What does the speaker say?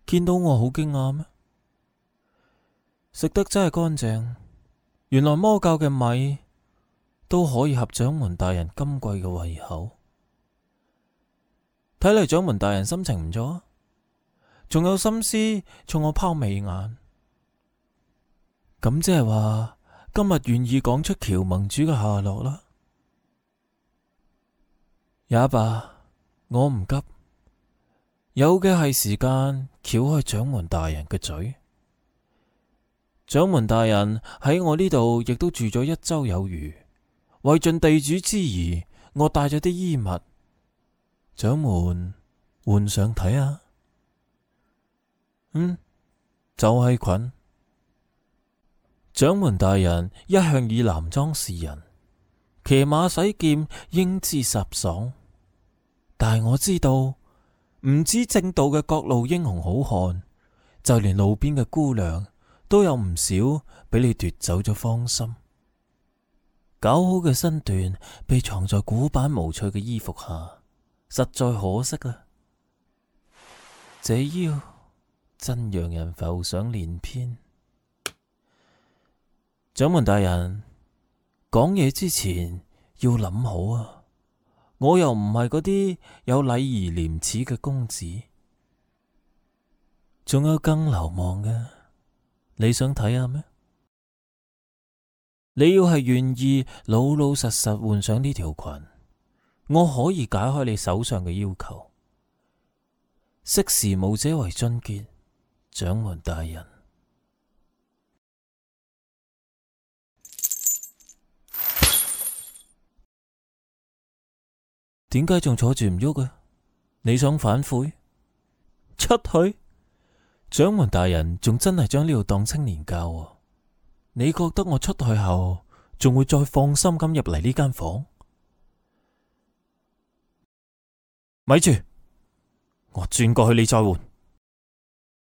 見到我好驚訝咩？食得真係乾淨，原來魔教嘅米都可以合掌門大人今季嘅胃口。睇嚟掌門大人心情唔錯啊，仲有心思衝我拋媚眼。咁即係話今日願意講出喬盟主嘅下落啦。也罷，我唔急，有嘅係時間撬開掌門大人嘅嘴。掌門大人喺我呢度亦都住咗1周有餘，為盡地主之誼，我帶咗啲衣物，掌門換上睇下。就係裙。掌門大人一向以男裝示人，騎馬使劍英姿颯爽。但係我知道，唔止正道嘅各路英雄好漢，就連路邊嘅姑娘都有唔少俾你奪走咗芳心。搞好嘅身段被藏在古板無趣嘅衣服下，實在可惜啊！這腰真讓人浮想聯翩。掌門大人，講嘢之前要諗好啊！我又唔係嗰啲有禮儀廉恥嘅公子，仲有更流氓嘅，你想睇下咩？你要係願意老老實實換上呢條裙，我可以解開你手上嘅要求。識時務者為俊傑，掌門大人。點解仲坐住唔喐啊？你想反悔？出去？掌門大人仲真係將呢度當青年教啊？你覺得我出去後仲會再放心咁入嚟呢間房？咪住，我轉過去你再換。